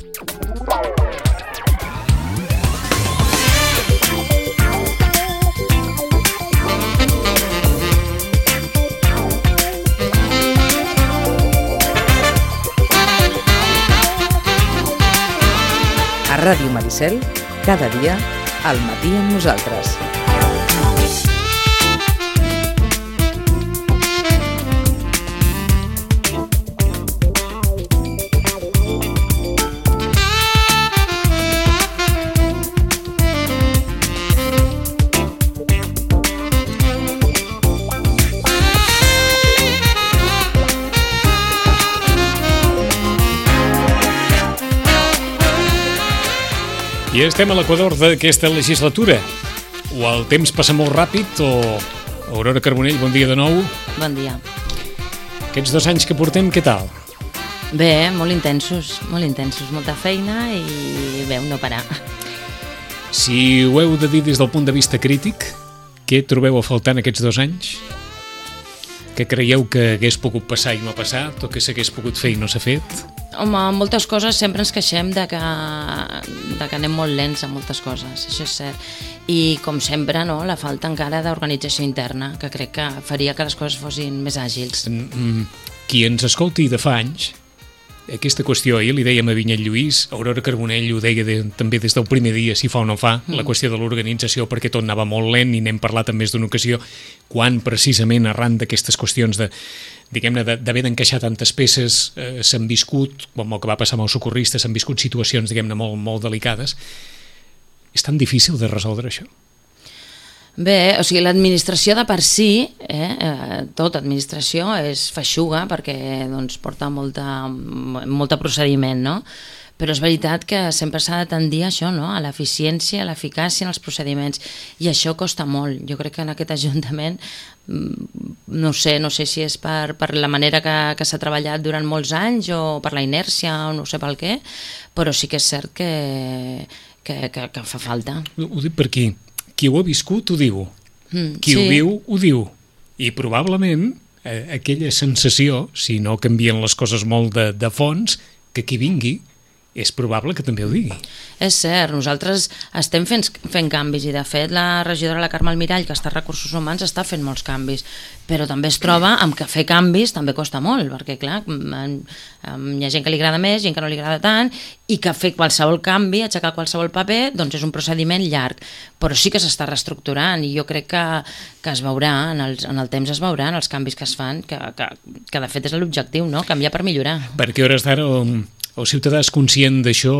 A Ràdio Maricel, cada dia, al matí amb nosaltres. I estem a l'equador d'aquesta legislatura. O el temps passa molt ràpid o... Aurora Carbonell, bon dia de nou. Bon dia. Aquests 2 anys que portem, què tal? Bé, molt intensos, molta feina i bé, no parar. Si ho heu de dir des del punt de vista crític, què trobeu a faltar en aquests 2 anys? Què creieu que hagués pogut passar i no ha passat, o que s'hagués pogut fer i no s'ha fet? Home, moltes coses sempre ens queixem de que anem molt lents en moltes coses, això és cert. I com sempre, no, la falta encara d'organització interna, que crec que faria que les coses fossin més àgils. Qui ens escolti de fa anys, aquesta qüestió ahir li dèiem a Vinyet Lluís, Aurora Carbonell ho deia també des del primer dia, si fa o no fa, la qüestió de l'organització, perquè tot anava molt lent i n'hem parlat en més d'una ocasió, quan precisament arran d'aquestes qüestions diguem-ne, d'haver d'encaixar tantes peces, s'han viscut, com el que va passar amb els socorristes, s'han viscut situacions, diguem-ne, molt, molt delicades. És tan difícil de resoldre això? Bé, o sigui, l'administració de per si, tota administració és feixuga perquè doncs, porta molta procediment, no? Però és veritat que sempre s'ha de tendir a això, no? A l'eficiència, a l'eficàcia en els procediments, i això costa molt. Jo crec que en aquest Ajuntament, no sé si és per la manera que s'ha treballat durant molts anys o per la inèrcia o no sé pel què, però sí que és cert que fa falta. Ho dic per aquí. Qui ho ha viscut ho diu, qui ho viu ho diu, i probablement aquella sensació, si no canvien les coses molt de fons, que qui vingui és probable que també ho digui. És cert, nosaltres estem fent canvis i de fet la regidora la Carme Almirall, que està a Recursos Humans, està fent molts canvis, però també es troba amb que fer canvis també costa molt, perquè clar, hi ha gent que li agrada més, gent que no li agrada tant, i que fer qualsevol canvi, aixecar qualsevol paper, doncs és un procediment llarg, però sí que s'està reestructurant i jo crec que es veurà, en el temps es veuran els canvis que es fan, que de fet és l'objectiu, no? Canviar per millorar. Perquè a hores d'ara el ciutadà és conscient d'això?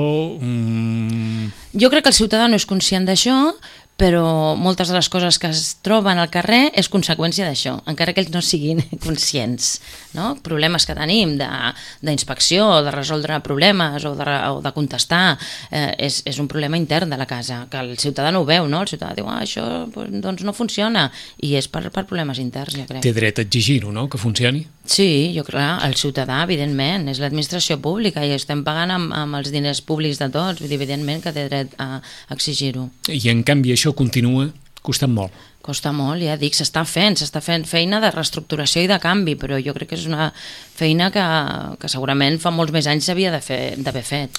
Jo crec que el ciutadà no és conscient d'això, però moltes de les coses que es troben al carrer és conseqüència d'això, encara que ells no siguin conscients, no? Problemes que tenim d'inspecció, de resoldre problemes o de contestar, és un problema intern de la casa, que el ciutadà no ho veu, no? El ciutadà diu, això doncs no funciona, i és per problemes interns, jo crec. Té dret a exigir-ho, no?, que funcioni? Sí, jo crec, el ciutadà, evidentment, és l'administració pública i estem pagant amb els diners públics de tots, vull dir, evidentment que té dret a exigir-ho. I en canvi això continua costant molt. Costa molt, ja dic, s'està fent feina de reestructuració i de canvi, però jo crec que és una feina que segurament fa molts més anys s'havia d'haver fet.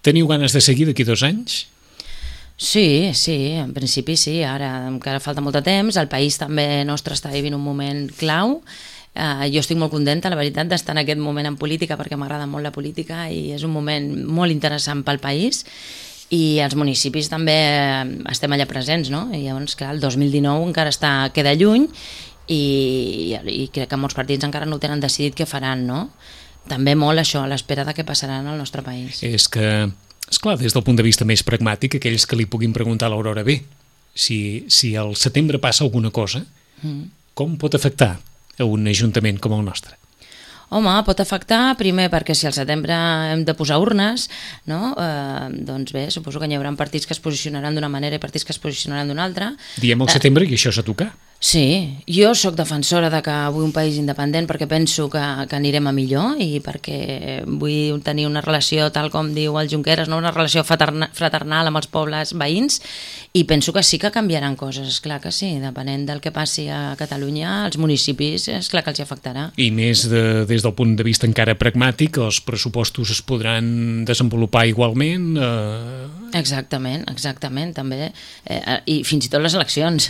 Teniu ganes de seguir d'aquí 2 anys? Sí, en principi sí, ara encara falta molt de temps, el país també nostre està vivint un moment clau. Jo estic molt contenta, la veritat, d'estar en aquest moment en política perquè m'agrada molt la política i és un moment molt interessant pel país i els municipis també estem allà presents, no? I llavors, clar, el 2019 encara queda lluny i crec que molts partits encara no ho tenen decidit què faran, no? També molt això, a l'espera de què passarà en el nostre país. És que, esclar, des del punt de vista més pragmàtic, aquells que li puguin preguntar a l'Aurora, bé, si al setembre passa alguna cosa, com pot afectar a un ajuntament com el nostre? Home, pot afectar, primer perquè si al setembre hem de posar urnes, no? Doncs bé, suposo que hi haurà partits que es posicionaran d'una manera i partits que es posicionaran d'una altra. Diem al setembre i això s'ha tocat. Sí, jo sóc defensora de que vull un país independent perquè penso que anirem a millor i perquè vull tenir una relació, tal com diu el Junqueras, no? Una relació fraternal amb els pobles veïns, i penso que sí que canviaran coses, esclar que sí, depenent del que passi a Catalunya, als municipis, esclar que els hi afectarà. I més des del punt de vista encara pragmàtic, els pressupostos es podran desenvolupar igualment? Exactament, també. I fins i tot les eleccions.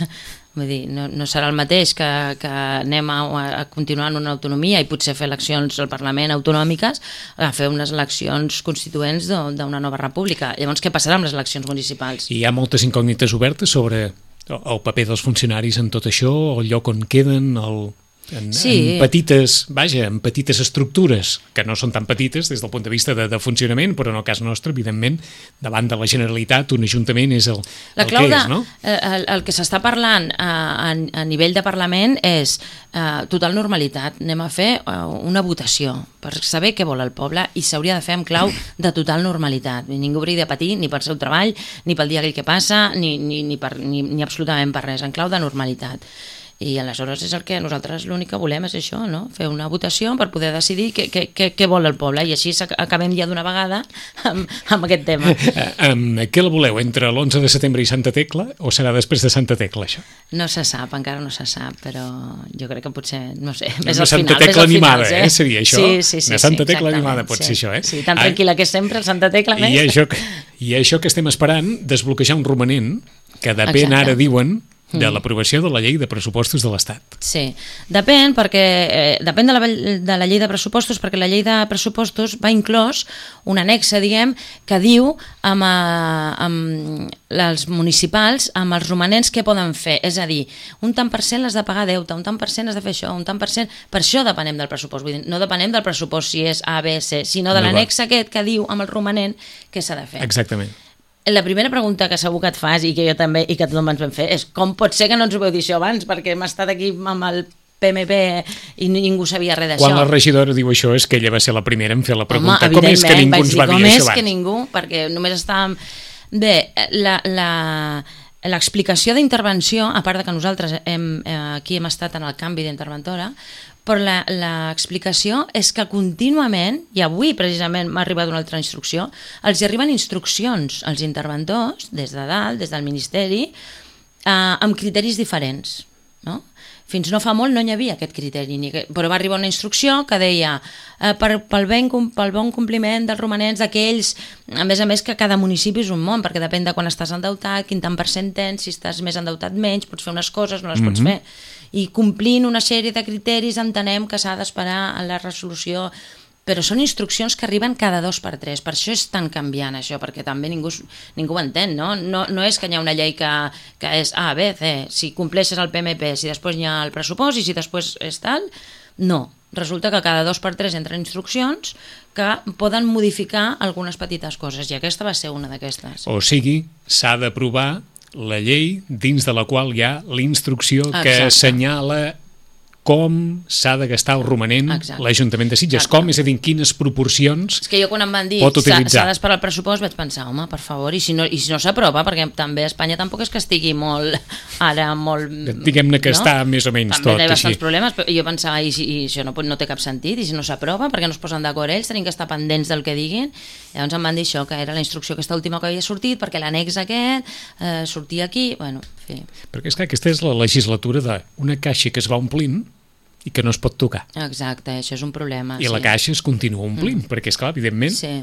Vull dir, no serà el mateix que anem a continuar en una autonomia i potser fer eleccions al Parlament autonòmiques a fer unes eleccions constituents d'una nova república. Llavors, què passarà amb les eleccions municipals? Hi ha moltes incògnites obertes sobre el paper dels funcionaris en tot això, el lloc on queden, en petites estructures, que no són tan petites des del punt de vista de funcionament, però en el cas nostre, evidentment, davant de la Generalitat, un ajuntament és el que és, no? El que s'està parlant a nivell de Parlament és total normalitat. Anem a fer una votació per saber què vol el poble i s'hauria de fer en clau de total normalitat. Ningú hauria de patir ni pel seu treball, ni pel dia aquell que passa, ni absolutament per res, en clau de normalitat. I aleshores és el que nosaltres l'únic que volem és això, no? Fer una votació per poder decidir què vol el poble i així acabem ja d'una vegada amb aquest tema. Què la voleu, entre l'11 de setembre i Santa Tecla o serà després de Santa Tecla, això? No se sap, encara no se sap, però jo crec que potser, no sé, més al final. Una Santa Tecla animada, seria això? Sí, una Santa Tecla animada pot ser això, eh? Sí, tan tranquil·la que és sempre el Santa Tecla més. I això que estem esperant, desbloquejar un romanent que depèn, ara diuen, de l'aprovació de la llei de pressupostos de l'Estat. Sí, depèn de la llei de pressupostos, perquè la llei de pressupostos va inclòs un annexe, diguem, que diu amb els municipals, amb els romanents què poden fer, és a dir, un tant per cent has de pagar deute, un tant per cent has de fer això, un tant per cent, per això depenem del pressupost, vull dir, no depenem del pressupost si és A, B, C, sinó de l'annexe aquest que diu amb el romanent què s'ha de fer. Exactament. La primera pregunta que segur que et fas i que jo també i que tothom ens vam fer és com pot ser que no ens ho veu dir això abans, perquè hem estat aquí amb el PMP i ningú sabia res d'això. Quan la regidora diu això és que ella va ser la primera en fer la pregunta. Com és que ningú ens va dir això abans? Com és que ningú, perquè només estàvem... Bé, l'explicació d'intervenció, a part de que nosaltres aquí hem estat en el canvi d'interventora, però l'explicació és que contínuament, i avui precisament m'ha arribat una altra instrucció, els arriben instruccions als interventors, des de dalt, des del Ministeri, amb criteris diferents, no? Fins no fa molt no hi havia aquest criteri, però va arribar una instrucció que deia pel bon compliment dels romanents d'aquells, a més que cada municipi és un món, perquè depèn de quan estàs endeutat, quin tant per cent tens, si estàs més endeutat menys, pots fer unes coses, no les pots fer. I complint una sèrie de criteris entenem que s'ha d'esperar a la resolució, però són instruccions que arriben cada 2 per 3, per això és tan canviant això, perquè també ningú ho entén, no? No és que hi ha una llei que és A, B, C, si compleixes el PMP, si després hi ha el pressupost i si després és tal, no. Resulta que cada 2 per 3 entren instruccions que poden modificar algunes petites coses, i aquesta va ser una d'aquestes. O sigui, s'ha d'aprovar la llei dins de la qual hi ha la instrucció que assenyala com s'ha de gastar el romanent l'Ajuntament de Sitges, com, és a dir, en quines proporcions és que jo quan em van dir s'ha d'esperar el pressupost vaig pensar, home, per favor, i si no s'aprova, perquè també a Espanya tampoc és que estigui molt, ara molt... Diguem-ne que està més o menys tot així. També hi ha bastants problemes, però jo pensava, i això no té cap sentit, i si no s'aprova, perquè no es posen d'acord ells, tenim que estar pendents del que diguin. Llavors em van dir això, que era la instrucció aquesta última que havia sortit, perquè l'annex aquest sortia aquí, bueno, en fi. Perquè és que aquesta és la legislatura d'una caixa que es va omplint i que no es pot tocar. Exacte, això és un problema. I la caixa es continua omplint, perquè, esclar, evidentment... Sí.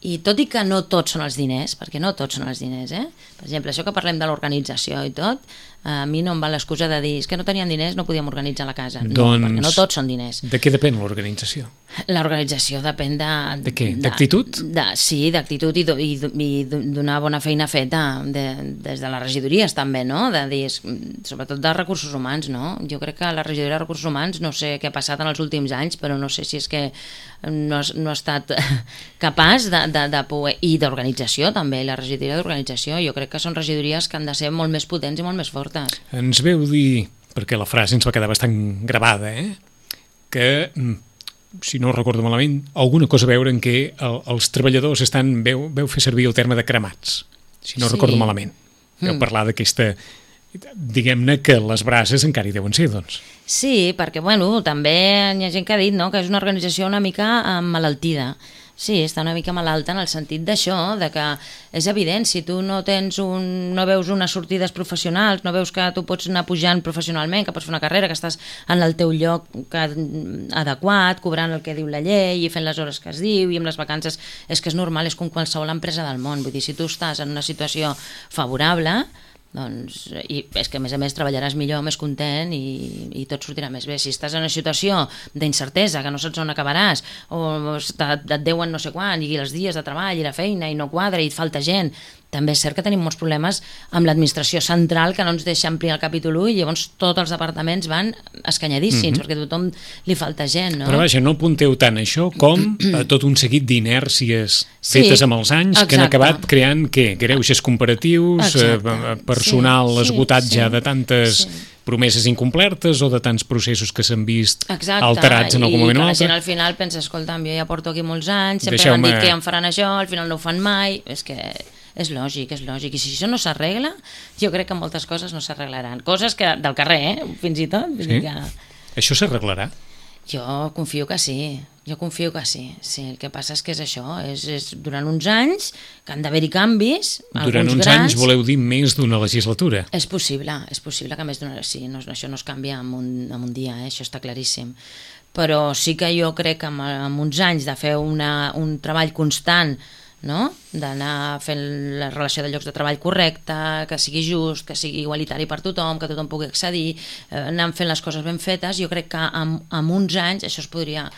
I tot i que no tots són els diners, perquè no tots són els diners, per exemple, això que parlem de l'organització i tot, a mi no em va l'excusa de dir és que no teníem diners, no podíem organitzar la casa. No, perquè no tots són diners. De què depèn l'organització? L'organització depèn de... De què? D'actitud? Sí, d'actitud i d'una bona feina feta des de les regidories també, no? De dir, sobretot de recursos humans, no? Jo crec que la regidoria de recursos humans, no sé què ha passat en els últims anys, però no sé si és que no ha estat capaç de poder... I d'organització també, la regidoria d'organització. Jo crec que són regidories que han de ser molt més potents i molt més fortes. Ens veu dir, perquè la frase ens va quedar bastant gravada, que, si no recordo malament, alguna cosa a veure en què els treballadors veu fer servir el terme de cremats, si no recordo malament. Veu parlar d'aquesta Diguem-ne que les braces encara hi deuen ser, doncs. Sí, perquè, també hi ha gent que ha dit, no?, que és una organització una mica emmalaltida. Sí, està una mica malalta en el sentit d'això, de que és evident, si tu no veus unes sortides professionals, no veus que tu pots anar pujant professionalment, que pots fer una carrera, que estàs en el teu lloc adequat, cobrant el que diu la llei i fent les hores que es diu i amb les vacances, és que és normal, és com qualsevol empresa del món. Vull dir, si tu estàs en una situació favorable, doncs, i és que a més treballaràs millor, més content i tot sortirà més bé. Si estàs en una situació d'incertesa, que no saps on acabaràs, o et deuen no sé quan, i els dies de treball i la feina i no quadra i et falta gent, també és cert que tenim molts problemes amb l'administració central, que no ens deixa ampliar el capítol 1 i llavors tots els departaments van escanyadíssims, perquè a tothom li falta gent, no? Però vaja, no apunteu tant això com tot un seguit d'inèrcies fetes amb els anys, que han acabat creant, què? Greuges comparatius, personal esgotat ja de tantes promeses incomplertes o de tants processos que s'han vist alterats en algun moment o altre. I que la gent al final pensa, escolta'm, jo ja porto aquí molts anys, sempre m'han dit que ja em faran això, al final no ho fan mai, és que és lògic, i si això no s'arregla, jo crec que moltes coses no s'arreglaran. Coses que del carrer, fins i tot. Sí? Això s'arreglarà? Jo confio que sí, sí. El que passa és que és això, és durant uns anys que han d'haver-hi canvis, durant uns anys voleu dir més d'una legislatura? És possible que més d'una... Sí, això no es canvia en un dia, això està claríssim. Però sí que jo crec que en uns anys de fer un treball constant, no?, d'anar fent la relació de llocs de treball correcta, que sigui just, que sigui igualitari per tothom, que tothom pugui accedir, anar fent les coses ben fetes, jo crec que en uns anys això es podria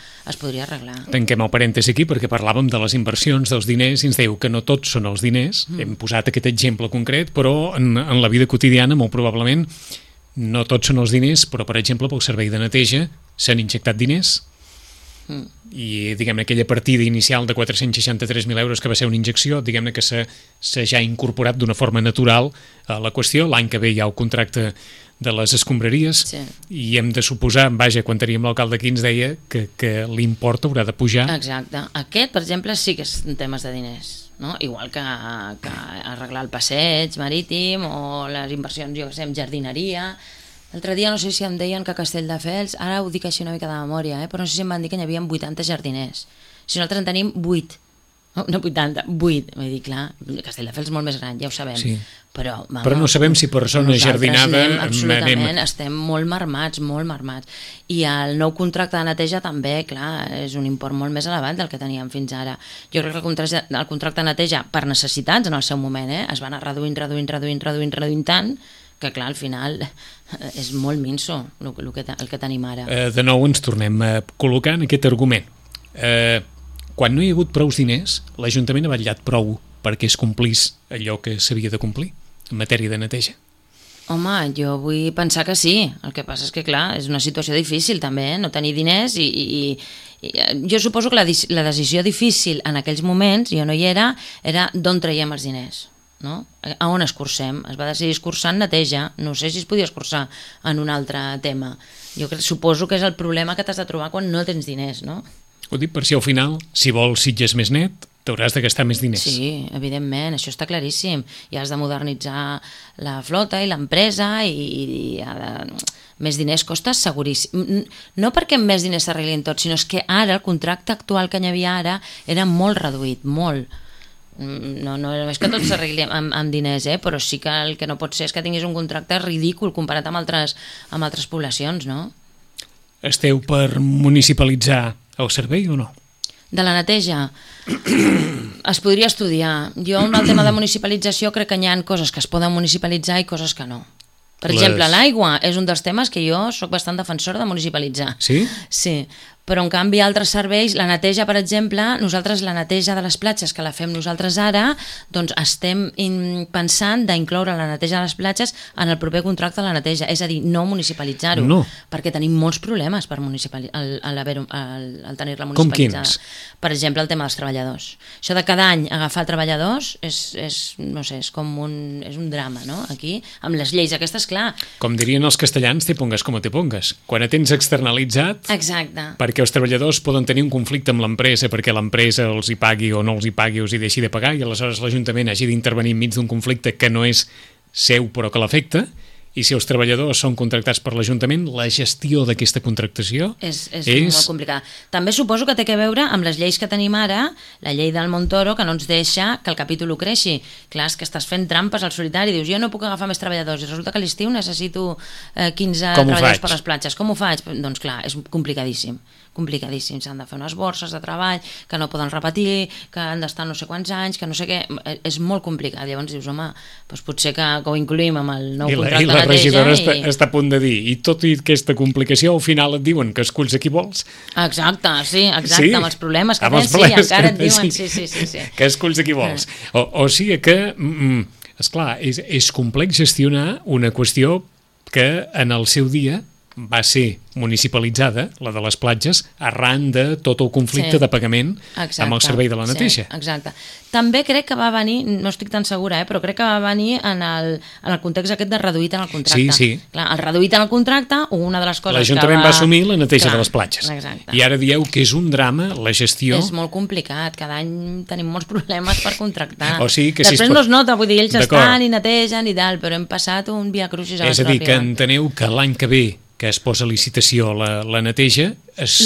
arreglar. Tanquem el parèntesi aquí perquè parlàvem de les inversions, dels diners, i ens dèieu que no tots són els diners, hem posat aquest exemple concret, però en la vida quotidiana molt probablement no tots són els diners, però per exemple pel servei de neteja s'han injectat diners, i diguem-ne aquella partida inicial de 463.000 euros que va ser una injecció, diguem-ne que s'ha ja incorporat d'una forma natural a la qüestió. L'any que ve hi ha el contracte de les escombraries, i hem de suposar, vaja, quan teníem l'alcalde aquí ens deia que l'import haurà de pujar. Exacte. Aquest, per exemple, sí que és temes de diners, no? Igual que arreglar el passeig marítim o les inversions, jo que sé, en jardineria. L'altre dia no sé si em deien que a Castelldefels, ara ho dic així una mica de memòria, però no sé si em van dir que n'hi havia 80 jardiners. Si nosaltres en tenim 8, no 80, 8. Vull dir, clar, Castelldefels és molt més gran, ja ho sabem. Sí. Però no sabem si per zona jardinada absolutament, estem molt marmats. I el nou contracte de neteja també, clar, és un import molt més elevat del que teníem fins ara. Jo crec que el contracte de neteja, per necessitats en el seu moment, es va anar reduint tant, que clar, al final és molt minso el que tenim ara. De nou ens tornem a col·locar en aquest argument. Quan no hi ha hagut prous diners, l'Ajuntament ha vetllat prou perquè es complís allò que s'havia de complir en matèria de neteja? Home, jo vull pensar que sí. El que passa és que, clar, és una situació difícil també, no tenir diners i jo suposo que la decisió difícil en aquells moments, jo no hi era d'on traiem els diners. No? A on escurcem? Es va decidir escurçar en neteja, no sé si es podia escurçar en un altre tema. Jo suposo que és el problema que t'has de trobar quan no tens diners, no? Ho dic per si al final, si vols Sitges més net, t'hauràs de gastar més diners. Sí, evidentment, això està claríssim. I has de modernitzar la flota i l'empresa i més diners costa seguríssim. No perquè amb més diners s'arreglin tot, sinó que ara el contracte actual que hi havia ara era molt reduït, molt. No és que tot s'arregli amb diners, però sí que el que no pot ser és que tinguis un contracte ridícul comparat amb altres poblacions, no? Esteu per municipalitzar el servei o no? De la neteja es podria estudiar. Jo en el tema de municipalització crec que hi ha coses que es poden municipalitzar i coses que no. Per exemple, l'aigua és un dels temes que jo sóc bastant defensora de municipalitzar. Sí? Sí, però en canvi altres serveis, la neteja, per exemple, nosaltres la neteja de les platges que la fem nosaltres ara, doncs estem pensant d'incloure la neteja de les platges en el proper contracte de la neteja, és a dir, no municipalitzar-ho, perquè tenim molts problemes per al tenir-la municipalitzada. Com quins? Per exemple, el tema dels treballadors. Això de cada any agafar treballadors no sé, és un drama, no? Aquí, amb les lleis aquestes, clar. Com dirien els castellans, te pongas com te pongas. Quan tens externalitzat... Exacte. Perquè els treballadors poden tenir un conflicte amb l'empresa perquè l'empresa els hi pagui o no els hi pagui o els hi deixi de pagar i aleshores l'Ajuntament hagi d'intervenir enmig d'un conflicte que no és seu però que l'afecta i si els treballadors són contractats per l'Ajuntament, la gestió d'aquesta contractació és molt complicada. També suposo que té a veure amb les lleis que tenim ara, la llei del Montoro, que no ens deixa que el capítol creixi. Clar, és que estàs fent trampes al solitari, dius, jo no puc agafar més treballadors, i resulta que a l'estiu necessito 15 treballadors per les platges. Com ho faig? Doncs clar, és complicadíssim. S'han de fer unes borses de treball que no poden repetir, que han d'estar no sé quants anys, que no sé què, és molt complicat. Llavors dius, home, doncs potser que ho incluïm amb el nou contracte de neteja. I la regidora està a punt de dir, i tot i aquesta complicació, al final et diuen que esculls a qui vols. Exacte, amb els problemes que tens, encara et diuen, sí. Que esculls a qui vols. O sigui que, esclar, és complex gestionar una qüestió que en el seu dia va ser municipalitzada, la de les platges, arran de tot el conflicte de pagament amb el servei de la neteja. Exacte. També crec que va venir, no estic tan segura, però crec que va venir en el context aquest de reduït en el contracte. Sí. Clar, el reduït en el contracte, una de les coses l'Ajuntament va assumir la neteja de les platges. Exacte. I ara dieu que és un drama la gestió. És molt complicat, cada any tenim molts problemes per contractar. O sigui que després no es nota, vull dir, ells estan i netegen i tal, però hem passat un viacrucis a És a dir, que enteneu que l'any que ve que es posa a licitació la neteja,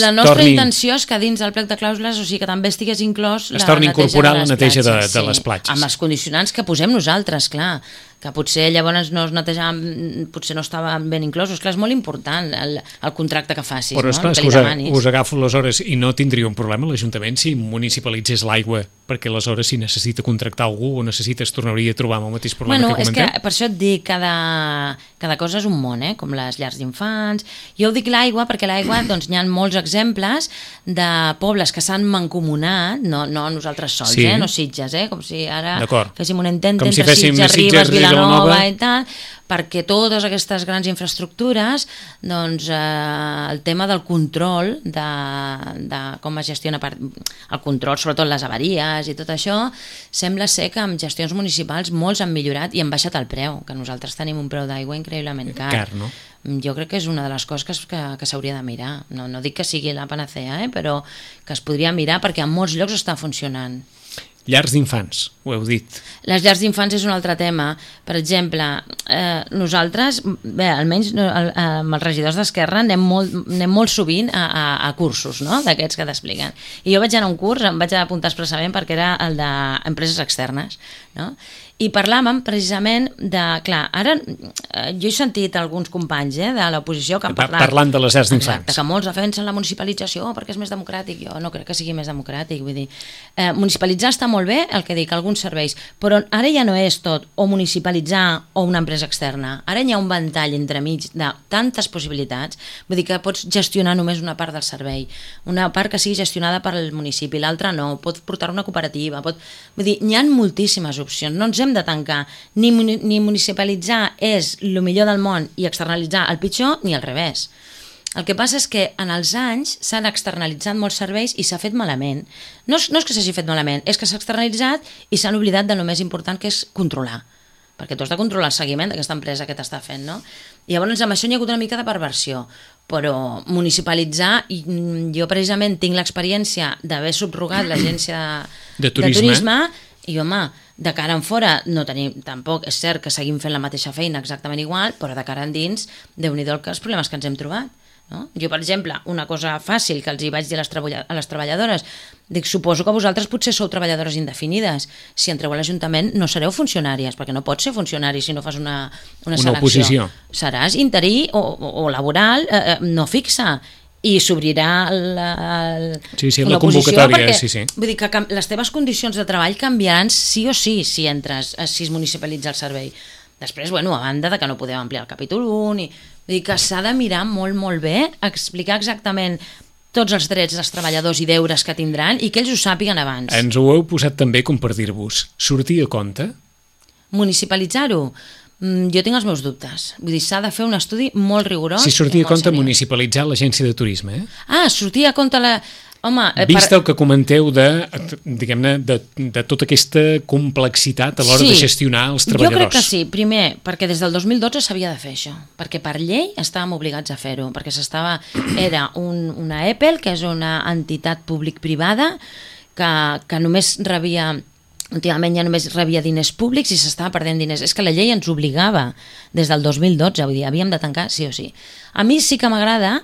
la nostra intenció és que dins del plec de clàusules, o sigui que també estigués inclòs es torni a incorporar la neteja de les platges. Amb els condicionants que posem nosaltres, clar, que potser llavors no es netejaven, potser no estaven ben inclosos. Clar, és molt important el contracte que facis. Però esclar, no? us agafo les hores i no tindria un problema l'Ajuntament si municipalitzés l'aigua, perquè aleshores si necessita contractar algú o necessita es tornaria a trobar amb el mateix problema que comentem. És que per això et dic, cada cosa és un món, com les llars d'infants. Jo ho dic l'aigua perquè l'aigua, doncs hi ha molts exemples de pobles que s'han mancomunat, no nosaltres sols, no Sitges, com si ara féssim un intent entre Sitges, Ribes, Vilanova i tal, perquè totes aquestes grans infraestructures, doncs el tema del control de com es gestiona el control, sobretot les avaries i tot això, sembla ser que amb gestions municipals molts han millorat i han baixat el preu, que nosaltres tenim un preu d'aigua increïblement car. No? Jo crec que és una de les coses que s'hauria de mirar. No dic que sigui la panacea, però que es podria mirar perquè en molts llocs està funcionant. Llars d'infants, ho heu dit. Les llars d'infants és un altre tema. Per exemple, nosaltres, almenys amb els regidors d'Esquerra anem molt sovint a cursos, no?, d'aquests que t'expliquen. I jo vaig anar a un curs, em vaig apuntar expressament perquè era el d'empreses externes, no?, i parlàvem precisament de... Clar, ara jo he sentit alguns companys de l'oposició que han parlat... Parlant de les llars d'infants. Exacte, que molts defensen la municipalització perquè és més democràtic. Jo no crec que sigui més democràtic. Vull dir, municipalitzar està molt bé, el que dic, alguns serveis, però ara ja no és tot o municipalitzar o una empresa externa. Ara hi ha un ventall entremig de tantes possibilitats. Vull dir que pots gestionar només una part del servei. Una part que sigui gestionada per el municipi, l'altra no. Pots portar una cooperativa. Vull dir, hi ha moltíssimes opcions. No ens hem de tancar, ni municipalitzar és el millor del món i externalitzar el pitjor, ni al revés. El que passa és que en els anys s'han externalitzat molts serveis i s'ha fet malament. No és que s'hagi fet malament, és que s'ha externalitzat i s'han oblidat de lo més important, que és controlar. Perquè tu has de controlar el seguiment d'aquesta empresa que t'està fent, no? I llavors amb això hi ha hagut una mica de perversió, però municipalitzar, jo precisament tinc l'experiència d'haver subrogat l'agència de turisme i home, de cara en fora no tenim, tampoc és cert que seguim fent la mateixa feina exactament igual, però de cara endins, Déu-n'hi-do els problemes que ens hem trobat. No? Jo, per exemple, una cosa fàcil que els hi vaig dir a les treballadores, dic, suposo que vosaltres potser sou treballadores indefinides. Si entreu a l'Ajuntament no sereu funcionàries, perquè no pots ser funcionari si no fas una selecció. Oposició. Seràs interí o laboral no fixa. I s'obrirà la convocatòria, perquè, vull dir que les teves condicions de treball canviaran sí o sí si entres, si es municipalitza el servei. Després, a banda de que no podem ampliar el capítol 1, vull dir que s'ha de mirar molt, molt bé, explicar exactament tots els drets dels treballadors i deures que tindran i que ells ho sàpiguen abans. Ens ho heu posat també com per dir-vos, sortir a compte? Municipalitzar-ho? Jo tinc els meus dubtes. Vull dir, s'ha de fer un estudi molt rigorós. Si sortia a compte municipalitzar l'agència de turisme, sortia a compte la... Home, vist el que comenteu diguem-ne, de tota aquesta complexitat a l'hora de gestionar els treballadors. Jo crec que sí. Primer, perquè des del 2012 s'havia de fer això. Perquè per llei estàvem obligats a fer-ho. Perquè era una EPEL, que és una entitat públic-privada, que només rebia últimament ja només rebia diners públics i s'estava perdent diners. És que la llei ens obligava des del 2012, vull dir, havíem de tancar sí o sí. A mi sí que m'agrada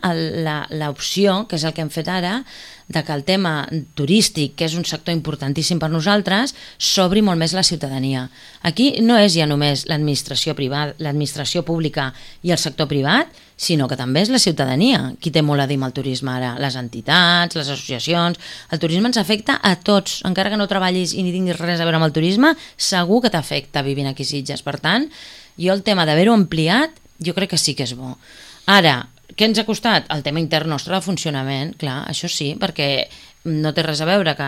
l'opció, que és el que hem fet ara, de que el tema turístic, que és un sector importantíssim per nosaltres, s'obri molt més la ciutadania. Aquí no és ja només l'administració privada, l'administració pública i el sector privat, sinó que també és la ciutadania qui té molt a dir amb el turisme ara, les entitats, les associacions. El turisme ens afecta a tots, encara que no treballis i ni tinguis res a veure amb el turisme, segur que t'afecta vivint aquí a Sitges. Per tant, jo el tema d'haver-ho ampliat, jo crec que sí que és bo. Ara, què ens ha costat? El tema intern nostre de funcionament, clar, això sí, perquè no té res a veure que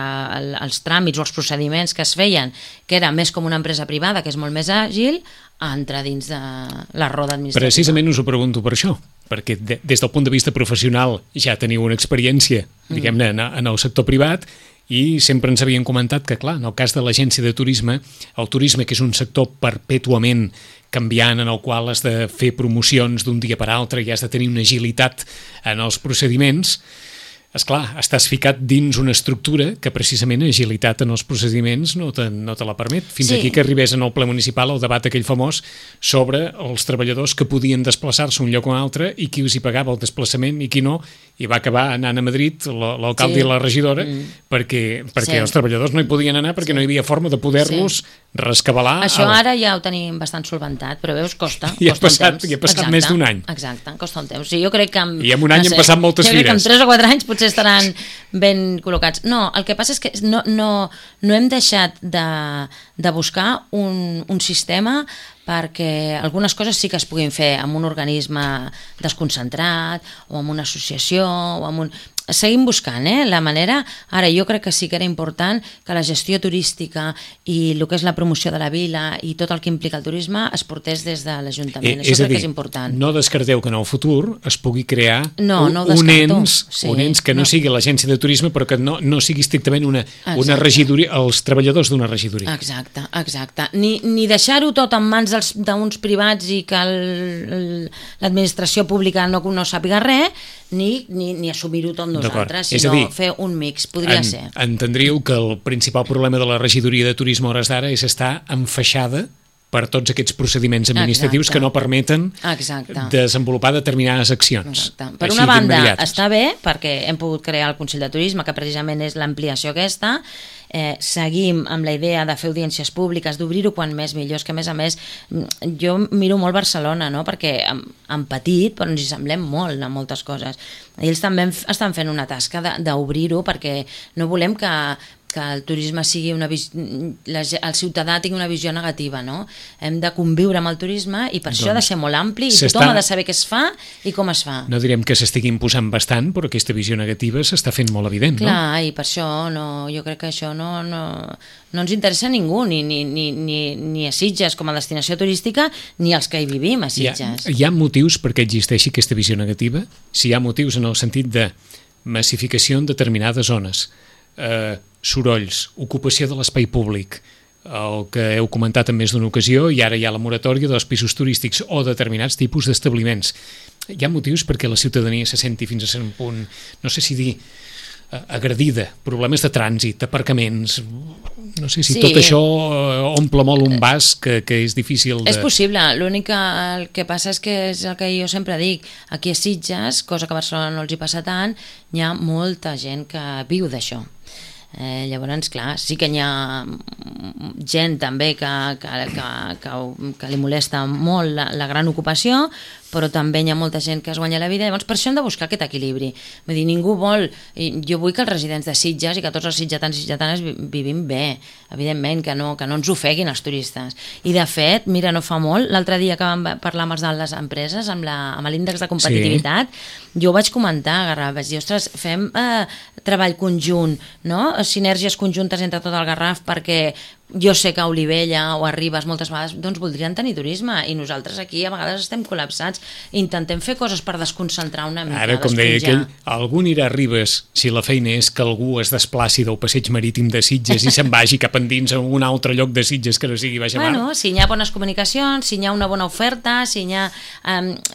els tràmits o els procediments que es feien, que era més com una empresa privada, que és molt més àgil, a entrar dins de la roda administrativa. Precisament us ho pregunto per això, perquè des del punt de vista professional ja teniu una experiència, diguem-ne, en el sector privat, i sempre ens havien comentat que, clar, en el cas de l'agència de turisme, el turisme, que és un sector perpètuament canviant, en el qual has de fer promocions d'un dia per altre i has de tenir una agilitat en els procediments, esclar, estàs ficat dins una estructura que precisament agilitat en els procediments no te la permet. Fins aquí que arribés en el ple municipal el debat aquell famós sobre els treballadors que podien desplaçar-se un lloc o un altre i qui els hi pagava el desplaçament i qui no, i va acabar anant a Madrid l'alcalde i la regidora perquè els treballadors no hi podien anar perquè no hi havia forma de poder-los rescabalar. Això ara ja ho tenim bastant solventat, però veus, costa I ha passat més d'un any. Exacte, costa un temps. Jo crec que I en un any han passat moltes fires. Jo crec que en 3 o 4 anys potser estaran ben col·locats. No, el que passa és que no hem deixat de buscar un sistema perquè algunes coses sí que es puguin fer amb un organisme desconcentrat o amb una associació o amb un... Seguim buscant la manera. Ara, jo crec que sí que era important que la gestió turística i el que és la promoció de la vila i tot el que implica el turisme es portés des de l'Ajuntament. Això crec que és important. No descarteu que en el futur es pugui crear un ens que no sigui l'agència de turisme però que no sigui estrictament una regidoria, els treballadors d'una regidoria. Exacte. Ni deixar-ho tot en mans d'uns privats i que l'administració pública no sàpiga res, ni assumir-ho tot nosaltres, sinó fer un mix, podria ser. Entendríeu que el principal problema de la regidoria de turisme a hores d'ara és estar enfaixada per tots aquests procediments administratius que no permeten desenvolupar determinades accions. Per una banda, està bé, perquè hem pogut crear el Consell de Turisme, que precisament és l'ampliació aquesta. Seguim amb la idea de fer audiències públiques, d'obrir-ho quan més millor, és que a més jo miro molt Barcelona, no? Perquè en petit però ens hi semblem molt en moltes coses. Ells també estan fent una tasca d'obrir-ho perquè no volem que el turisme sigui el ciutadà tingui una visió negativa, no? Hem de conviure amb el turisme i per això ha de ser molt ampli i tothom ha de saber què es fa i com es fa. No direm que s'estigui imposant bastant, però aquesta visió negativa s'està fent molt evident, no? Clar, i per això jo crec que això no ens interessa a ningú, ni a Sitges com a destinació turística, ni als que hi vivim a Sitges. Hi ha motius perquè existeixi aquesta visió negativa? Si hi ha motius en el sentit de massificació en determinades zones, sorolls, ocupació de l'espai públic, el que heu comentat en més d'una ocasió, i ara hi ha la moratòria dels pisos turístics o determinats tipus d'establiments. Hi ha motius perquè la ciutadania se senti fins a cert punt, no sé si dir, agredida, problemes de trànsit, aparcaments, no sé si tot això omple molt un vas que és difícil de... És possible, l'únic que passa és que és el que jo sempre dic, aquí a Sitges, cosa que a Barcelona no els hi passa tant, hi ha molta gent que viu d'això. Llavors, clar, sí que hi ha gent també que li molesta molt la gran ocupació, però també hi ha molta gent que es guanya la vida, llavors per això hem de buscar aquest equilibri. Vull dir, ningú vol... Jo vull que els residents de Sitges i que tots els sitgetans i sitgetanes vivim bé, evidentment, que no ens ofeguin els turistes. I de fet, mira, no fa molt, l'altre dia que vam parlar amb els de les empreses, amb l'índex de competitivitat, jo ho vaig comentar, Garraf, vaig dir, ostres, fem treball conjunt, no? Sinergies conjuntes entre tot el Garraf, perquè jo sé que a Olivella o a Ribes moltes vegades doncs voldrien tenir turisme i nosaltres aquí a vegades estem col·lapsats, intentem fer coses per desconcentrar una mica. Ara, com deia aquell, algú anirà a Ribes si la feina és que algú es desplaci del passeig marítim de Sitges i se'n vagi cap endins a un altre lloc de Sitges que no sigui Baix a Mar. Bueno, si hi ha bones comunicacions, si hi ha una bona oferta, si hi ha...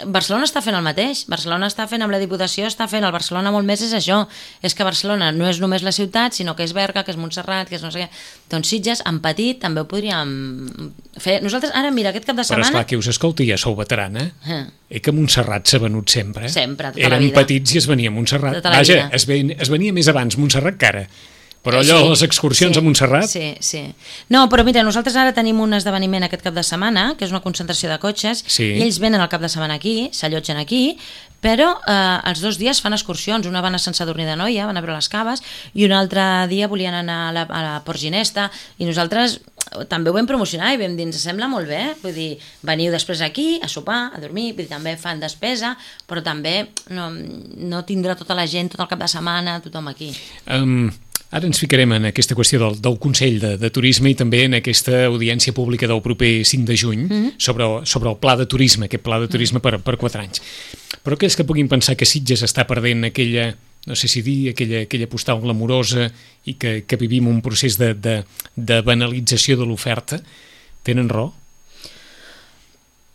Barcelona està fent el mateix, Barcelona està fent amb la Diputació, està fent el Barcelona molt més és això, és que Barcelona no és només la ciutat, sinó que és Berga, que és Montserrat, que és no sé què. Doncs Sitges, en petit també ho podríem fer. Nosaltres, ara, mira, aquest cap de setmana... Però esclar, que us escolti, ja sou veterana. Que Montserrat s'ha venut sempre. Sempre, tota la vida. Érem petits i es venia a Montserrat. Tota la vida. Vaja, es venia més abans Montserrat que ara. Però allò, les excursions a Montserrat... Sí. No, però mira, nosaltres ara tenim un esdeveniment aquest cap de setmana, que és una concentració de cotxes, i ells venen el cap de setmana aquí, s'allotgen aquí, però els 2 dies fan excursions. Una van a Sant Sadurní d'Anoia, van a veure les caves, i un altre dia volien anar a la Port Ginesta, i nosaltres també ho vam promocionar i vam dir, ens sembla molt bé, vull dir, veniu després aquí a sopar, a dormir, vull dir, també fan despesa, però també no tindrà tota la gent tot el cap de setmana, tothom aquí. Ara ens ficarem en aquesta qüestió del Consell de Turisme i també en aquesta audiència pública del proper 5 de juny sobre el pla de turisme, aquest pla de turisme per 4 anys. Però aquells que puguin pensar que Sitges està perdent aquella, no sé si dir, aquella postal glamourosa i que vivim un procés de banalització de l'oferta, tenen raó?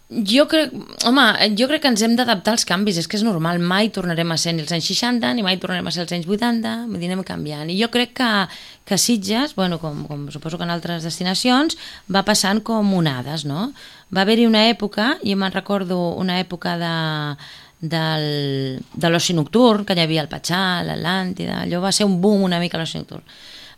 Jo crec que ens hem d'adaptar als canvis, és que és normal, mai tornarem a ser ni els anys 60 ni mai tornarem a ser els anys 80, vull dir, anem canviant. I jo crec que Sitges, bueno, com suposo que en altres destinacions, va passant com onades, no? Va haver-hi una època, jo me'n recordo una època de l'oci nocturn, que hi havia el Patxà, l'Atlàntida, allò va ser un boom una mica l'oci nocturn.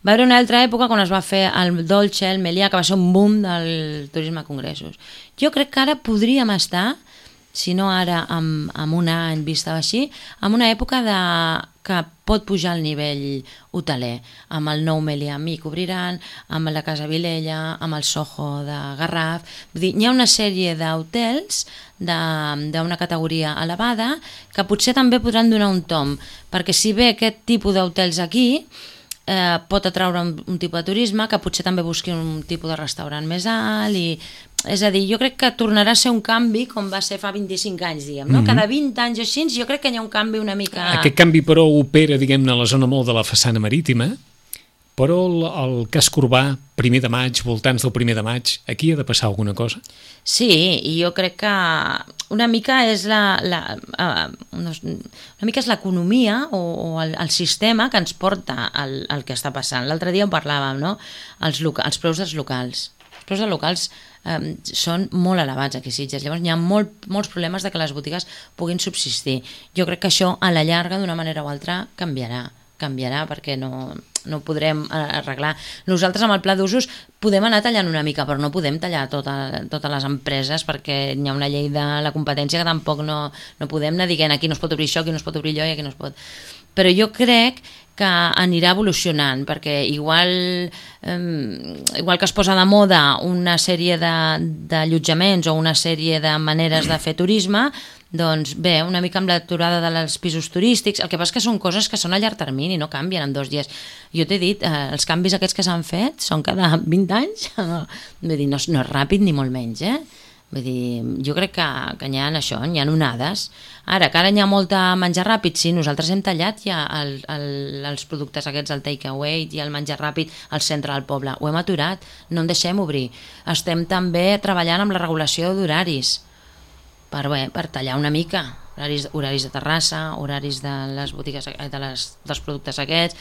Va haver una altra època quan es va fer el Dolce, el Melià, que va ser un boom del turisme a congressos. Jo crec que ara podríem estar, si no ara amb un any vista així, en una època que pot pujar el nivell hoteler. Amb el nou Melià Amic obriran, amb la Casa Vilella, amb el Soho de Garraf. Vull dir, hi ha una sèrie d'hotels d'una categoria elevada que potser també podran donar un tom, perquè si bé aquest tipus d'hotels aquí pot atraure un tipus de turisme, que potser també busqui un tipus de restaurant més alt, és a dir, jo crec que tornarà a ser un canvi com va ser fa 25 anys, diguem, no? Cada 20 anys o així, jo crec que hi ha un canvi una mica... Aquest canvi, però, opera, diguem-ne, a la zona molt de la façana marítima, però el casc urbà, 1 de maig, voltants del 1 de maig, aquí ha de passar alguna cosa? Sí, i jo crec que una mica és l'economia o el sistema que ens porta al que està passant. L'altre dia ho parlàvem, no? Els preus dels locals. Els preus dels locals són molt elevats aquí a Sitges, llavors hi ha molts problemes de que les botigues puguin subsistir. Jo crec que això a la llarga d'una manera o altra canviarà perquè no ho podrem arreglar. Nosaltres amb el pla d'usos podem anar tallant una mica, però no podem tallar totes les empreses perquè hi ha una llei de la competència que tampoc no podem anar dient aquí no es pot obrir això, aquí no es pot obrir allò i aquí no es pot... Però jo crec que anirà evolucionant, perquè igual que es posa de moda una sèrie d'allotjaments o una sèrie de maneres de fer turisme, doncs bé, una mica amb l'aturada dels pisos turístics, el que passa que són coses que són a llarg termini, no canvien en 2 dies. Jo t'he dit, els canvis aquests que s'han fet són cada 20 anys, vull dir, no és ràpid ni molt menys, Vull dir, jo crec que hi ha això, hi ha onades. Ara, que ara hi ha molt menjar ràpid, sí, nosaltres hem tallat ja els productes aquests, el takeaway i el menjar ràpid al centre del poble. Ho hem aturat, no en deixem obrir. Estem també treballant amb la regulació d'horaris per tallar una mica. Horaris de terrassa, horaris de les botigues, dels productes aquests,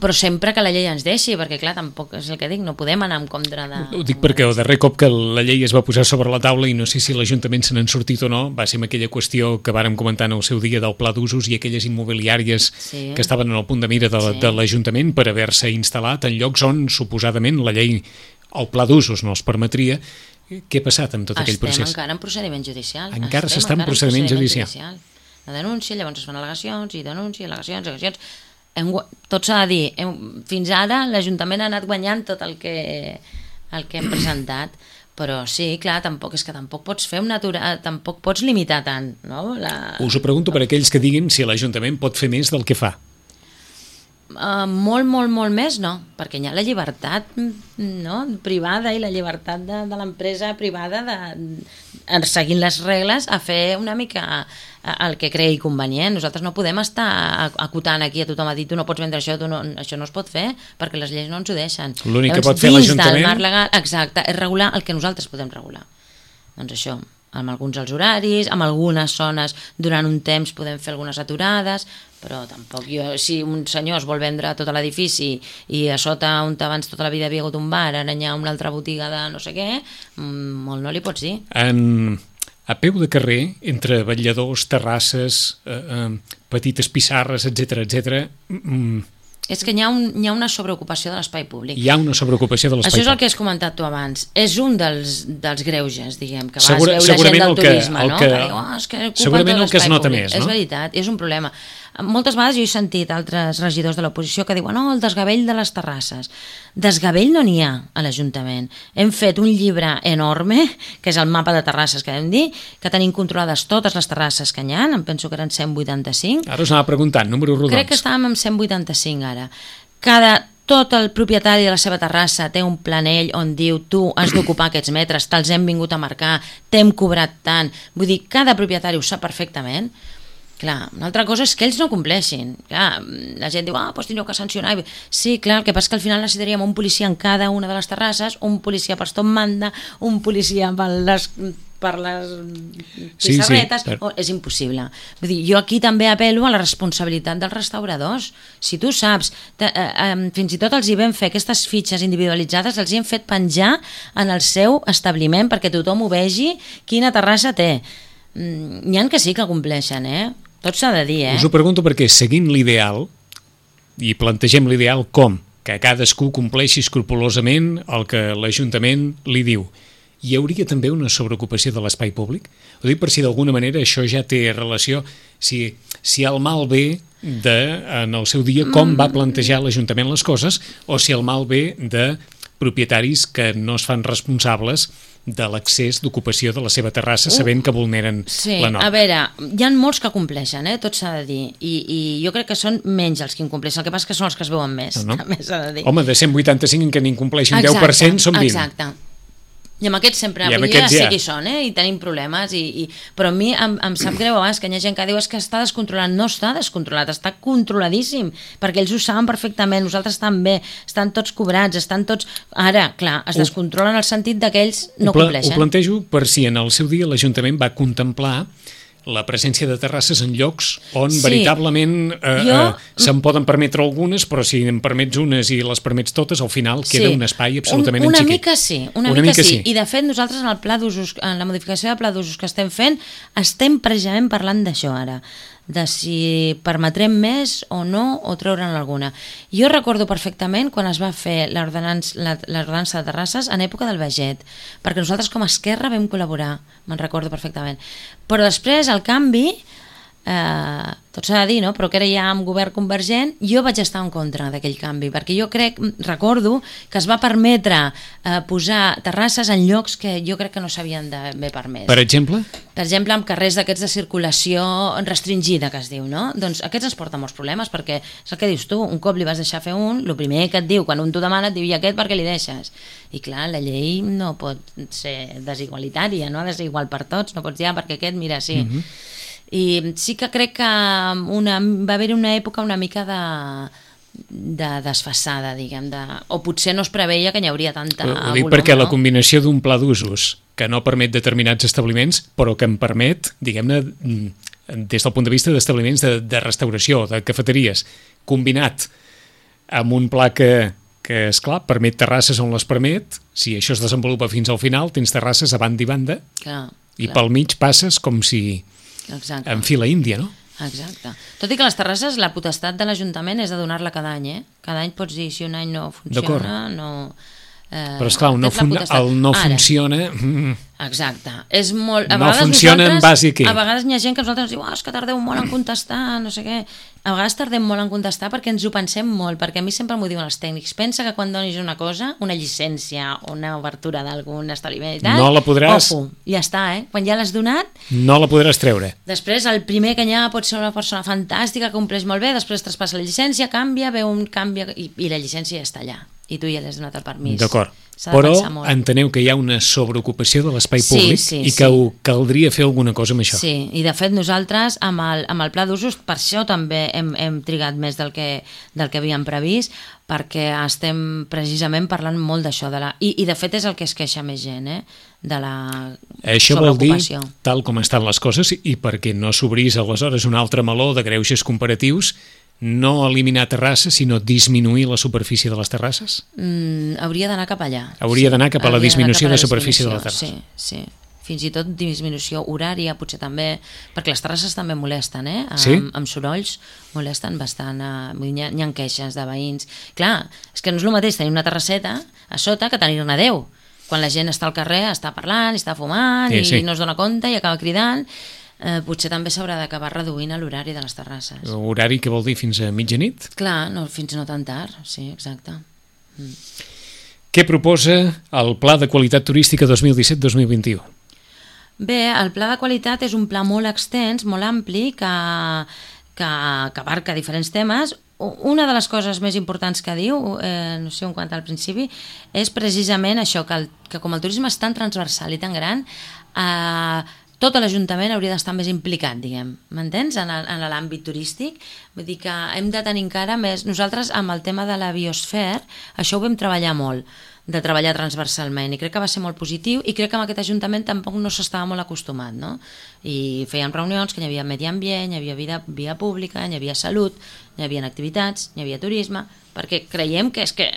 però sempre que la llei ens deixi, perquè clar, tampoc és el que dic, no podem anar en contra de... Ho dic perquè el darrer cop que la llei es va posar sobre la taula, i no sé si l'Ajuntament se n'han sortit o no, va ser amb aquella qüestió que vàrem comentar en el seu dia del pla d'usos i aquelles immobiliàries que estaven en el punt de mira de l'Ajuntament per haver-se instal·lat en llocs on suposadament la llei, el pla d'usos no els permetria. Què ha passat amb tot aquell procés? Estem encara en procediment judicial. Encara s'està en procediment judicial. La denúncia, llavors es fan al·legacions i denúncia, al·legacions. Tot s'ha de dir, fins ara l'Ajuntament ha anat guanyant tot el que hem presentat, però sí, clar, tampoc pots fer tampoc pots limitar tant, no? Us ho pregunto per aquells que diguin si l'Ajuntament pot fer més del que fa. Molt més no, perquè hi ha la llibertat privada i la llibertat de l'empresa privada seguint les regles a fer una mica el que cregui convenient. Nosaltres no podem estar acotant aquí a tothom a dir tu no pots vendre això, això no es pot fer perquè les lleis no ens ho deixen. L'únic que pot fer l'Ajuntament... Dins del marc legal, exacte, és regular el que nosaltres podem regular. Doncs això. amb alguns els horaris, amb algunes zones durant un temps podem fer algunes aturades, però tampoc si un senyor es vol vendre tot l'edifici i a sota on abans tota la vida havia hagut un bar, ara hi ha una altra botiga de no sé què, molt no li pots dir. A peu de carrer, entre vetlladors, terrasses, petites pissarres, etc. És que hi ha una sobreocupació de l'espai públic. Hi ha una sobreocupació de l'espai públic. Això és el que has comentat tu abans. És un dels greuges, diguem, que vas veure gent del turisme, no? Que diu, és que ocupen tot l'espai públic. És veritat, és un problema. Moltes vegades jo he sentit altres regidors de l'oposició que diuen, el desgavell de les terrasses. Desgavell no n'hi ha a l'Ajuntament. Hem fet un llibre enorme, que és el mapa de terrasses que vam dir, que tenim controlades totes les terrasses que hi ha, em penso que eren 185. Ara us anava preguntant, número rodons. Crec que estàvem amb 185 ara. Tot el propietari de la seva terrassa té un planell on diu tu has d'ocupar aquests metres, te'ls hem vingut a marcar, t'hem cobrat tant. Vull dir, cada propietari ho sap perfectament. Clar, una altra cosa és que ells no compleixin. Clar, la gent diu, doncs tindreu que sancionar. Sí, clar, el que passa és que al final necessitaríem un policia en cada una de les terrasses, un policia per tot manda, un policia per les pissarretes, és impossible. Vull dir, jo aquí també apel·lo a la responsabilitat dels restauradors. Si tu saps, fins i tot els hi vam fer aquestes fitxes individualitzades, els hi hem fet penjar en el seu establiment perquè tothom ho vegi quina terrassa té. N'hi ha que sí que compleixen, tot s'ha de dir, Us ho pregunto perquè seguint l'ideal, i plantegem l'ideal com? Que cadascú compleixi escrupolosament el que l'Ajuntament li diu. Hi hauria també una sobreocupació de l'espai públic? Ho dic per si d'alguna manera això ja té relació, si el mal ve en el seu dia com va plantejar l'Ajuntament les coses, o si el mal ve de propietaris que no es fan responsables de l'accés d'ocupació de la seva terrassa sabent que vulneren la norma. A veure, hi ha molts que compleixen, tot s'ha de dir, i jo crec que són menys els que incompleixen, el que passa que són els que es veuen més, també s'ha de dir. Home, de 185 en què n'incompleixen 10% són 20. Exacte. I amb aquests sempre, ja sé qui són, i tenim problemes, però a mi em sap greu abans que hi ha gent que diu que està descontrolat. No està descontrolat, està controladíssim, perquè ells ho saben perfectament, nosaltres també, estan tots cobrats, estan tots... Ara, clar, es descontrolen en el sentit que ells no compleixen. Ho plantejo per si en el seu dia l'Ajuntament va contemplar la presència de terrasses en llocs on veritablement se'n poden permetre algunes, però si en permets unes i les permets totes, al final queda un espai absolutament una enxiquit. Una mica sí. I de fet nosaltres en el pla d'usos, en la modificació de pla d'usos que estem fent, estem precisament parlant d'això ara, de si permetrem més o no, o treure'n alguna. Jo recordo perfectament quan es va fer l'ordenança de terrasses en època del Baget, perquè nosaltres com a Esquerra vam col·laborar, me'n recordo perfectament. Però després, el canvi, tot s'ha de dir, no? Però que era ja amb govern convergent, jo vaig estar en contra d'aquell canvi, perquè jo recordo que es va permetre posar terrasses en llocs que jo crec que no s'havien d'haver permès. Per exemple? Per exemple, en carrers d'aquests de circulació restringida, que es diu, no? Doncs aquests ens porten molts problemes, perquè és el que dius tu, un cop li vas deixar fer el primer que et diu, quan un t'ho demana, et diu, i aquest per què li deixes? I clar, la llei no pot ser desigualitària, no? Ha de ser igual per tots, no pots dir, perquè aquest, mira, sí. I sí que crec que va haver-hi una època una mica de desfasada, diguem, o potser no es preveia que hi hauria tanta volum. Ho dic perquè la combinació d'un pla d'usos que no permet determinats establiments, però que em permet, diguem-ne, des del punt de vista d'establiments de restauració, de cafeteries, combinat amb un pla que esclar, permet terrasses on les permet, si això es desenvolupa fins al final, tens terrasses a banda i banda, i pel mig passes com si... en fila índia, no? Exacte. Tot i que les terrasses, la potestat de l'Ajuntament és de donar-la cada any, Cada any pots dir, si un any no funciona, no... Però esclar, el no funciona... Exacte. És molt... No funciona en base a què? A vegades hi ha gent que nosaltres ens diu és que tardeu molt en contestar, no sé què. A vegades tardem molt en contestar perquè ens ho pensem molt, perquè a mi sempre m'ho diuen els tècnics. Pensa que quan donis una cosa, una llicència, una obertura d'algun establiment i tal... No la podràs... Ojo, ja està, Quan ja l'has donat... No la podràs treure. Després, el primer que hi ha pot ser una persona fantàstica, que compleix molt bé, després traspassa la llicència, canvia, ve un canvi i la llicència ja està allà. I tu ja l'has donat el permís. D'acord. s'ha de Però pensar molt. enteneu que hi ha una sobreocupació de l'espai públic i que caldria fer alguna cosa amb això. Sí, i de fet nosaltres amb el pla d'usos, per això també hem trigat més del que havíem previst, perquè estem precisament parlant molt d'això. I de fet és el que es queixa més gent, de la això vol dir, sobreocupació. tal com estan les coses, i perquè no s'obrís aleshores un altre meló de greuges comparatius, no eliminar terrasses, sinó disminuir la superfície de les terrasses? Hauria d'anar cap allà. Hauria d'anar cap a la disminució de superfície de la terrassa. Sí. Fins i tot disminució horària, potser també, perquè les terrasses també molesten, Sí? Amb sorolls molesten bastant, hi ha queixes de veïns. Clar, és que no és el mateix tenir una terrasseta a sota que tenir-ne 10. Quan la gent està al carrer, està parlant, està fumant, i no es dona compte i acaba cridant, potser també s'haurà d'acabar reduint l'horari de les terrasses. Horari que vol dir fins a mitjanit? Clar, fins no tan tard, sí, exacte. Què proposa el Pla de Qualitat Turística 2017-2021? Bé, el pla de qualitat és un pla molt extens, molt ampli, que abarca diferents temes. Una de les coses més importants que diu, no sé en quant al principi, és precisament això, que com el turisme és tan transversal i tan gran, tot l'Ajuntament hauria d'estar més implicat, diguem, m'entens, en l'àmbit turístic. Vull dir que hem de tenir encara més... Nosaltres, amb el tema de la biosfera, això ho vam treballar molt, de treballar transversalment, i crec que va ser molt positiu, i crec que amb aquest Ajuntament tampoc no s'estava molt acostumat, no? I fèiem reunions que hi havia medi ambient, hi havia via pública, hi havia salut, hi havia activitats, hi havia turisme, perquè creiem que és que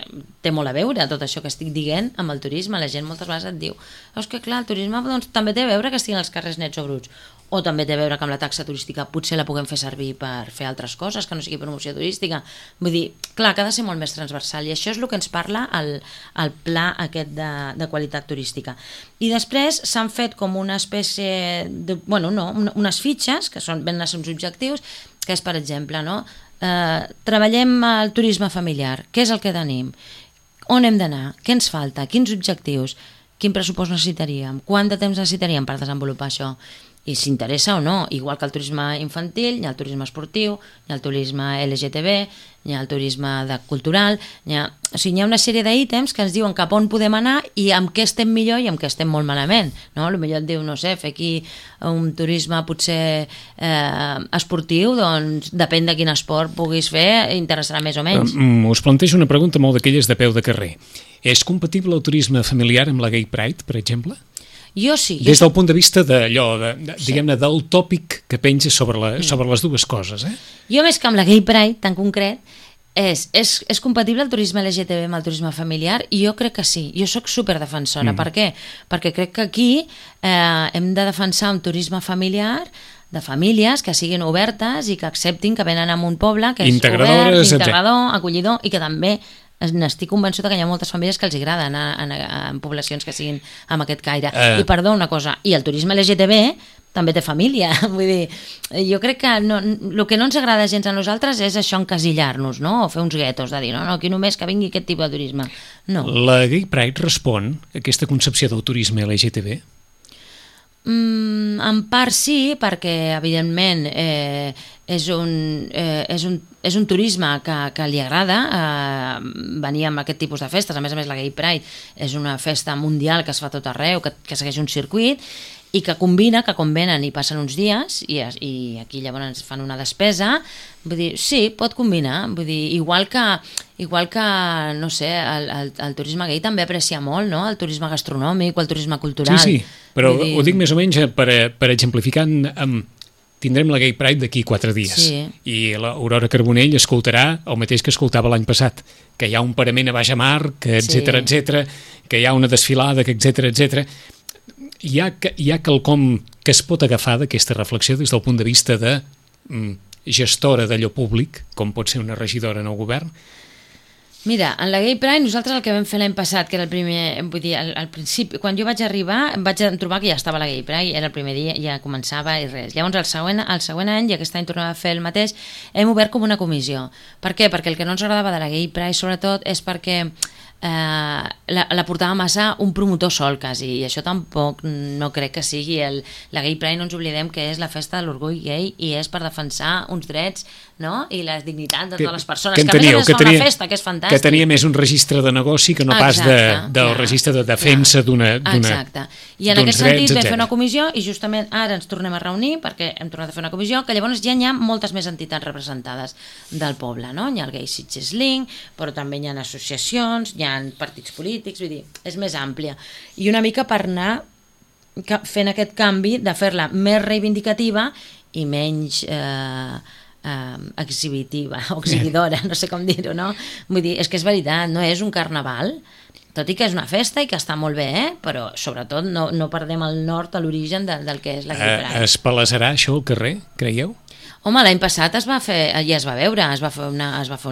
té molt a veure tot això que estic dient amb el turisme. La gent moltes vegades et diu, és que clar, el turisme doncs, també té a veure que estiguin els carrers nets o bruts, o també té a veure que amb la taxa turística potser la puguem fer servir per fer altres coses, que no sigui promoció turística. Vull dir, clar, que ha de ser molt més transversal, i això és el que ens parla el pla aquest de qualitat turística. I després s'han fet com una espècie de, unes fitxes, que venen a ser uns objectius, que és, per exemple, treballem el turisme familiar, què és el que tenim, on hem d'anar, què ens falta, quins objectius, quin pressupost necessitaríem, quant de temps necessitaríem per desenvolupar això, i s'interessa o no, igual que el turisme infantil, hi ha el turisme esportiu, hi ha el turisme LGTB, hi ha el turisme cultural, hi ha una sèrie d'ítems que ens diuen cap on podem anar i amb què estem millor i amb què estem molt malament, no? Potser et diu, no sé, fer aquí un turisme potser esportiu, doncs depèn de quin esport puguis fer, interessarà més o menys. Us plantejo una pregunta molt d'aquelles de peu de carrer. És compatible el turisme familiar amb la Gay Pride, per exemple? Jo sí. Des del punt de vista d'allò, diguem-ne, del tòpic que penja sobre les dues coses, Jo més que amb la Gay Pride, tan concret, és compatible el turisme LGTB amb el turisme familiar? I jo crec que sí. Jo sóc superdefensora. Per què? Perquè crec que aquí hem de defensar un turisme familiar de famílies que siguin obertes i que acceptin que venen a un poble que és obert, integrador, acollidor, i que també n'estic convençuda que hi ha moltes famílies que els agrada anar en poblacions que siguin amb aquest caire. I perdó, una cosa, i el turisme LGTB també té família, vull dir, jo crec que el que no ens agrada gens a nosaltres és això, encasillar-nos, no? O fer uns guetos de dir, no, aquí només que vingui aquest tipus de turisme. No. La Gay Pride respon a aquesta concepció del turisme LGTB? En part sí, perquè evidentment és un turisme que li agrada venir amb aquest tipus de festes. A més, la Gay Pride és una festa mundial que es fa tot arreu, que segueix un circuit i que combina, que quan venen i passen uns dies i aquí llavors fan una despesa, vull dir, sí, pot combinar, vull dir, igual que no sé, el turisme gay també aprecia molt, no?, el turisme gastronòmic o el turisme cultural. Sí, però ho dic més o menys per exemplificar, tindrem la Gay Pride d'aquí 4 dies i l'Aurora Carbonell escoltarà el mateix que escoltava l'any passat, que hi ha un parament a baix a mar, etc, que hi ha una desfilada, etc. Hi ha quelcom que es pot agafar d'aquesta reflexió des del punt de vista de gestora d'allò públic, com pot ser una regidora en el govern? Mira, en la Gay Pride nosaltres el que vam fer l'any passat, que era el primer, vull dir, al principi, quan jo vaig arribar em vaig trobar que ja estava la Gay Pride, era el primer dia, ja començava i res. Llavors el següent any, i aquest any tornem a fer el mateix, hem obert com una comissió. Per què? Perquè el que no ens agradava de la Gay Pride sobretot és perquè la portava massa un promotor sol quasi, i això tampoc no crec que sigui la Gay Pride. No ens oblidem que és la festa de l'orgull gay i és per defensar uns drets, no? I la dignitat de totes les persones, que a més a més fa una festa que és fantàstic, que tenia més un registre de negoci que no pas del registre de defensa d'una exacte. I en aquest sentit vam fer una comissió i justament ara ens tornem a reunir perquè hem tornat a fer una comissió que llavors ja hi ha moltes més entitats representades del poble, no? Hi ha el Gay Sitges Link, però també hi ha associacions, hi ha partits polítics, vull dir, és més àmplia. I una mica per anar fent aquest canvi de fer-la més reivindicativa i menys exhibitiva o exhibidora, no sé com dir-ho, no? Vull dir, és que és veritat, no és un carnaval, tot i que és una festa i que està molt bé, però sobretot no perdem el nord a l'origen del que és la Gay Pride. Es palesarà això al carrer, creieu? Home, l'any passat es va fer, ja es va veure, es va fer un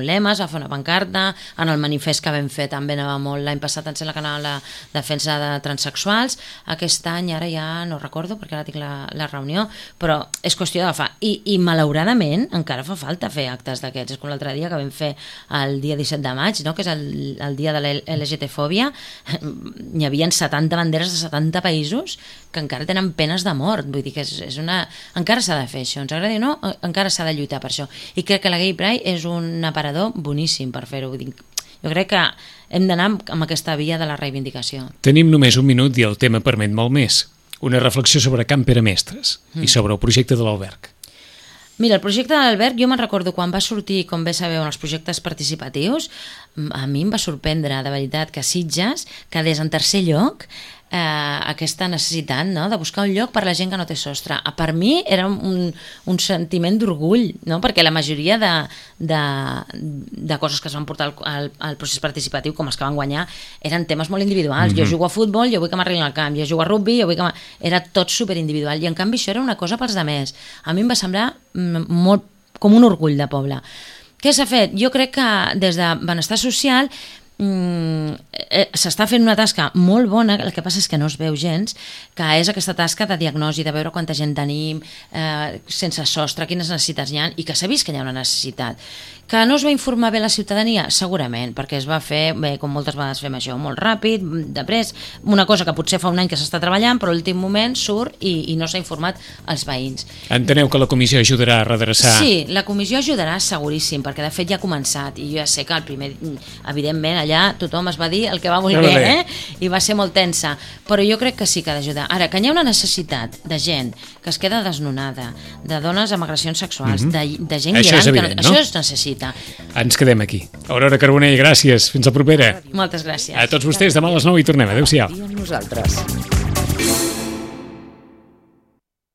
lema, es va fer una pancarta, en el manifest que vam fer també anava molt, l'any passat em sembla que anava la defensa de transsexuals, aquest any ara ja no recordo perquè ara tinc la reunió, però és qüestió d'agafar, i malauradament encara fa falta fer actes d'aquests, és com l'altre dia que vam fer el dia 17 de maig, no? Que és el dia de la LGTfòbia, hi havia 70 banderes de 70 països que encara tenen penes de mort, vull dir que és una... encara s'ha de fer això, ens agradi o no, encara s'ha de lluitar per això, i crec que la Gay Pride és un aparador boníssim per fer-ho. Jo crec que hem d'anar amb aquesta via de la reivindicació. Tenim només un minut i el tema permet molt més. Una reflexió sobre Can Pere Mestres i sobre el projecte de l'alberg. Mira, el projecte de l'alberg, jo me'n recordo quan va sortir, com bé sabeu, en els projectes participatius, a mi em va sorprendre, de veritat, que Sitges quedés en tercer lloc aquesta necessitat, no?, de buscar un lloc per a la gent que no té sostre. Per mi era un sentiment d'orgull, no?, perquè la majoria de coses que es van portar al procés participatiu, com els que van guanyar, eren temes molt individuals. Jo jugo a futbol, jo vull que m'arreglin al camp, jo jugo a rugby, jo vull que era tot superindividual, i en canvi això era una cosa pels altres. A mi em va semblar molt com un orgull de poble. Què s'ha fet? Jo crec que des de Benestar Social s'està fent una tasca molt bona, el que passa és que no es veu gens, que és aquesta tasca de diagnosi, de veure quanta gent tenim sense sostre, quines necessitats hi ha, i que s'ha vist que hi ha una necessitat. Que no es va informar bé la ciutadania? Segurament, perquè es va fer, bé, com moltes vegades fem això, molt ràpid, de pressa, una cosa que potser fa un any que s'està treballant, però a l'últim moment surt i no s'ha informat als veïns. Enteneu que la comissió ajudarà a redreçar? Sí, la comissió ajudarà seguríssim, perquè de fet ja ha començat, i jo ja sé que el primer, evidentment, allà tothom es va dir el que va voler, i va ser molt tensa, però jo crec que sí que ha d'ajudar. Ara, que hi ha una necessitat de gent que es queda desnonada, de dones amb agressions sexuals, de gent això gran, és evident, això es necessita. Ens quedem aquí. Aurora Carbonell, gràcies. Fins la propera. Moltes gràcies. A tots vostès, demà a les 9 hi tornem. Adéu-siau. Amb nosaltres.